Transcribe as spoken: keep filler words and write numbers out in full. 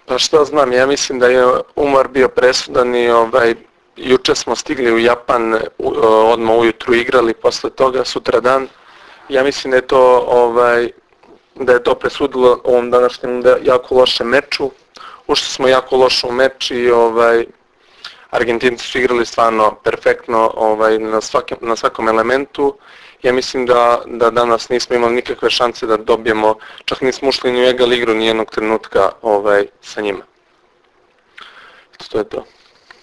Pa šta znam, ja mislim da je umor bio presudan i ovaj, juče smo stigli u Japan, odmah ujutru igrali, posle toga sutra dan. Ja mislim da je to, ovaj, da je to presudilo ovom današnjem jako lošem meču. Ušli smo jako loše u meč i ovaj, Argentinci su igrali stvarno perfektno ovaj, na, svakim, na svakom elementu. Ja mislim da, da danas nismo imali nikakve šanse da dobijemo, čak nismo ušli ni u egal igru nijednog trenutka ovaj, sa njima. To je to.